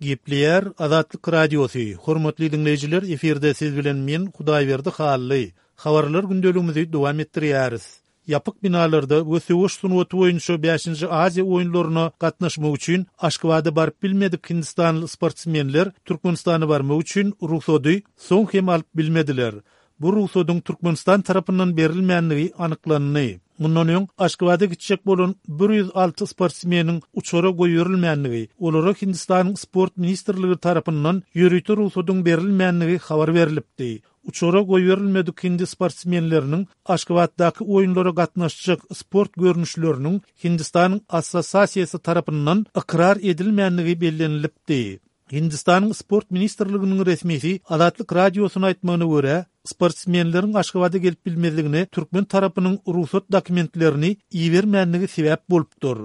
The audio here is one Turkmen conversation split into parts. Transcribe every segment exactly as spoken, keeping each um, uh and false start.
Gepleýär Azatlyk Radiosy, Hormatly diňleýjiler, efirde siz bilen men Hudaýberdi Hally. Habarlar gündeligimizi dowam etdirýäris. Ýapyk binalarda we söweş sungaty boýunça bäşinji Aziýa oýunlaryna gatnaşmak üçin Aşgabada baryp bilmedik hindistanly sportsmenler Türkmenistana barmak üçin rugsady soň hem alyp bilmediler. Bu rugsadyň Türkmenistan tarapyndan berilmänligi anyklandy. Mundan öň Aşgabada gitjek bolan bir ýüz alty sportsmeniň uçara goýberilmänligi, olara Hindistanyň Sport ministrligi tarapyndan ýörite rugsadyň berilmänligi habar berlipdi. Uçara goýberilmedik hindi sportsmenleriniň Aşgabatdaky oýunlara gatnaşjak sport görnüşleriniň Hindistanyň Assosiasiýasy tarapyndan ykrar edilmänligi bellenilipdi. Hindistanyň Sport ministrliginiň resmisi Azatlyk Radiosyna aýtmagyna görä, sportsmenleriň Aşgabada gelip bilmezligine türkmen tarapynyň rugsat dokumentlerini ibermänligi sebäp bolupdyr.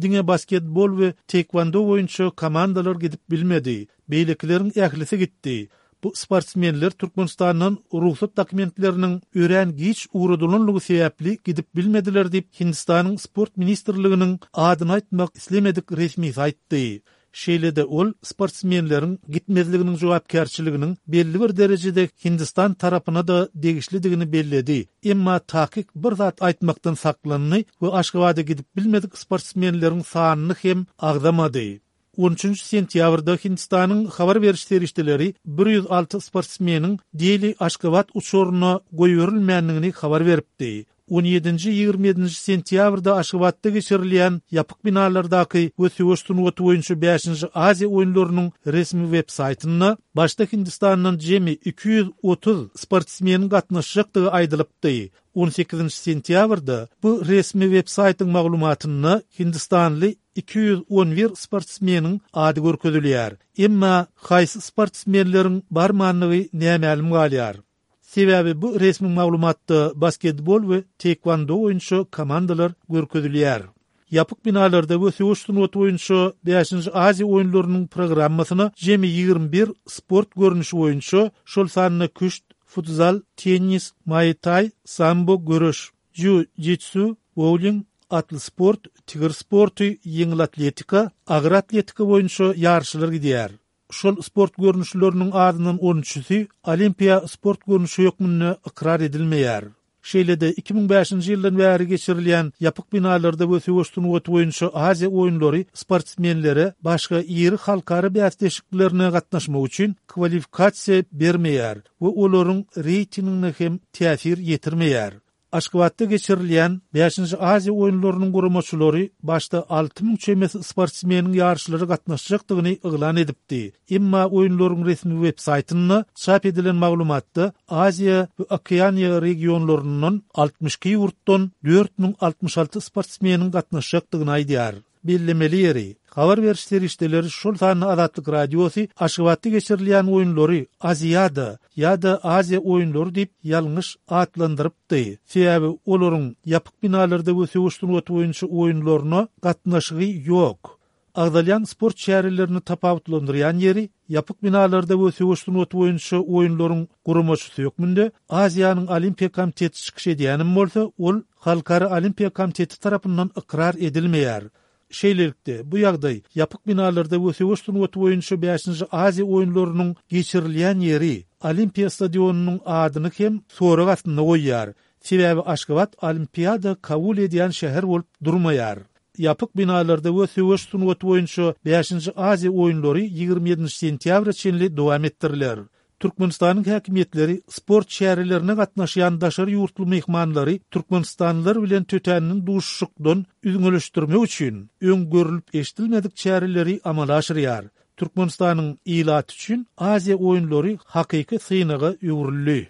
Diňe basketbol we taekwondo boýunça komandalar gidip bilmedi, beýlekileriň ählisi gitdi. Bu sportsmenler Türkmenistandan rugsat dokumentleriniň örän giç ugradylanlygy sebäpli gidip bilmediler diýip, Hindistanyň Sport ministrliginiň adyny aýtmak islemedik resmisi aýtdy. Şeýle-de ol sportsmenleriň gitmezliginiň jogapkärçiliginiň belli bir derejede Hindistan tarapyna-da degişlidigini belledi, emma takyk bir zat aýtmakdan saklandy we Aşgabada gidip bilmedik sportsmenleriň sanyny hem agzamady. On üçünji sentýabrda Hindistanyň habar beriş serişdeleri bir ýüz alty sportsmeniň Deli-Aşgabat uçaryna goýberilmändigini habar beripdi. On ýedinji, ýigrimi ýedinji sentýabrda Aşgabatda geçirilýän ýapyk binalardaky we söweş sungaty boýunça bäşinji Aziýa oýunlarynyň resmi web-saýtynda başda Hindistandan jemi iki ýüz otuz sportsmeniň gatnaşjakdygy aýdylypdy. On sekizinji sentýabrda bu resmi web-saýtyň maglumatynda hindistanly iki ýüz on bir sportsmeniň ady görkezilýär. Emma haýsy sportsmenleriň barmandygy nämälim galýar. Sebäbi bu resmi maglumatda basketbol we taekwondo boýunça komandalar görkezilýär. Ýapyk binalarda we söweş sungaty boýunça bäşinji Aziýa oýunlarynyň programmasyna jemi ýigrimi bir sport görnüşi boýunça, şol sanda küşt, futzal, tennis, muay-thai, sambo, göreş, jiu-jitsu, bowling, atly sport, tigir sporty, ýeňil atletika, agyr atletika boýunça ýaryşlar gidýär. Şol sport görnüşleriniň azyndan on üçüsi olimpiýa sport görnüşi hökmünde ykrar edilmeýär. Şeýle-de iki müň bäşinji ýyldan bäri geçirilýän ýapyk binalarda we söweş sungaty boýunça Aziýa oýunlary sportsmenlere başga iri halkara bäsleşiklerine gatnaşmak üçin kwalifikasiýa bermeýär we olaryň reýtingine hem täsir ýetirmeýär. Aşgabatda geçirilýän bäşinji Aziýa oýunlarynyň guramaçylary başda alty müň çemesi sportsmeniň ýaryşlara gatnaşjakdygyny yglan edipdi. Emma oýunlaryň resmi web-saýtynda çap edilen maglumatda Aziýa we Okeaniýa regionlaryndan altmyş iki ýurtdan dört müň altmyş alty sportsmeniň gatnaşjakdygyny aýdýar. Bellemeli ýeri, habar beriş serişdeleri, şol sanda Azatlyk Radiosy Aşgabatda geçirilýän oýunlary Aziada ýa-da Aziýa oýunlary diýip ýalňyş atlandyrypdy. Sebäbi olaryň ýapyk binalarda we söweş sungaty boýunça oýunlaryna gatnaşygy ýok. Agzalýan sport çärelerini tapawutlandyrýan ýeri, ýapyk binalarda we söweş sungaty boýunça oýunlaryň guramaçysy hökmünde Aziýanyň Olimpiýa komiteti çykyş edýänem bolsa, ol Halkara Olimpiýa komiteti tarapyndan ykrar edilmeýär. Şeýlelikde, bu ýagdaý ýapyk binalarda we söweş sungaty boýunça bäşinji Aziýa oýunlarynyň geçirilýän ýeri, Olimpiýa stadionynyň adyny hem sorag astynda goýýar. Sebäbi Aşgabat Olimpiada kabul edýän şäher bolup durmaýar. Ýapyk binalarda we söweş sungaty boýunça bäşinji Aziýa oýunlary ýigrimi ýedinji sentýabra çenli dowam etdiriler. Türkmenistanyň häkimiýetleri sport çärelerine gatnaşýan daşary ýurtly myhmanlary türkmenistanlylar bilen tötänden duşuşykdan üzňeleşdirmek üçin öň görlüp-eşidilmedik çäreleri amala aşyrýar. Türkmenistanyň ilaty üçin Aziýa oýunlary hakyky synaga öwrüldi.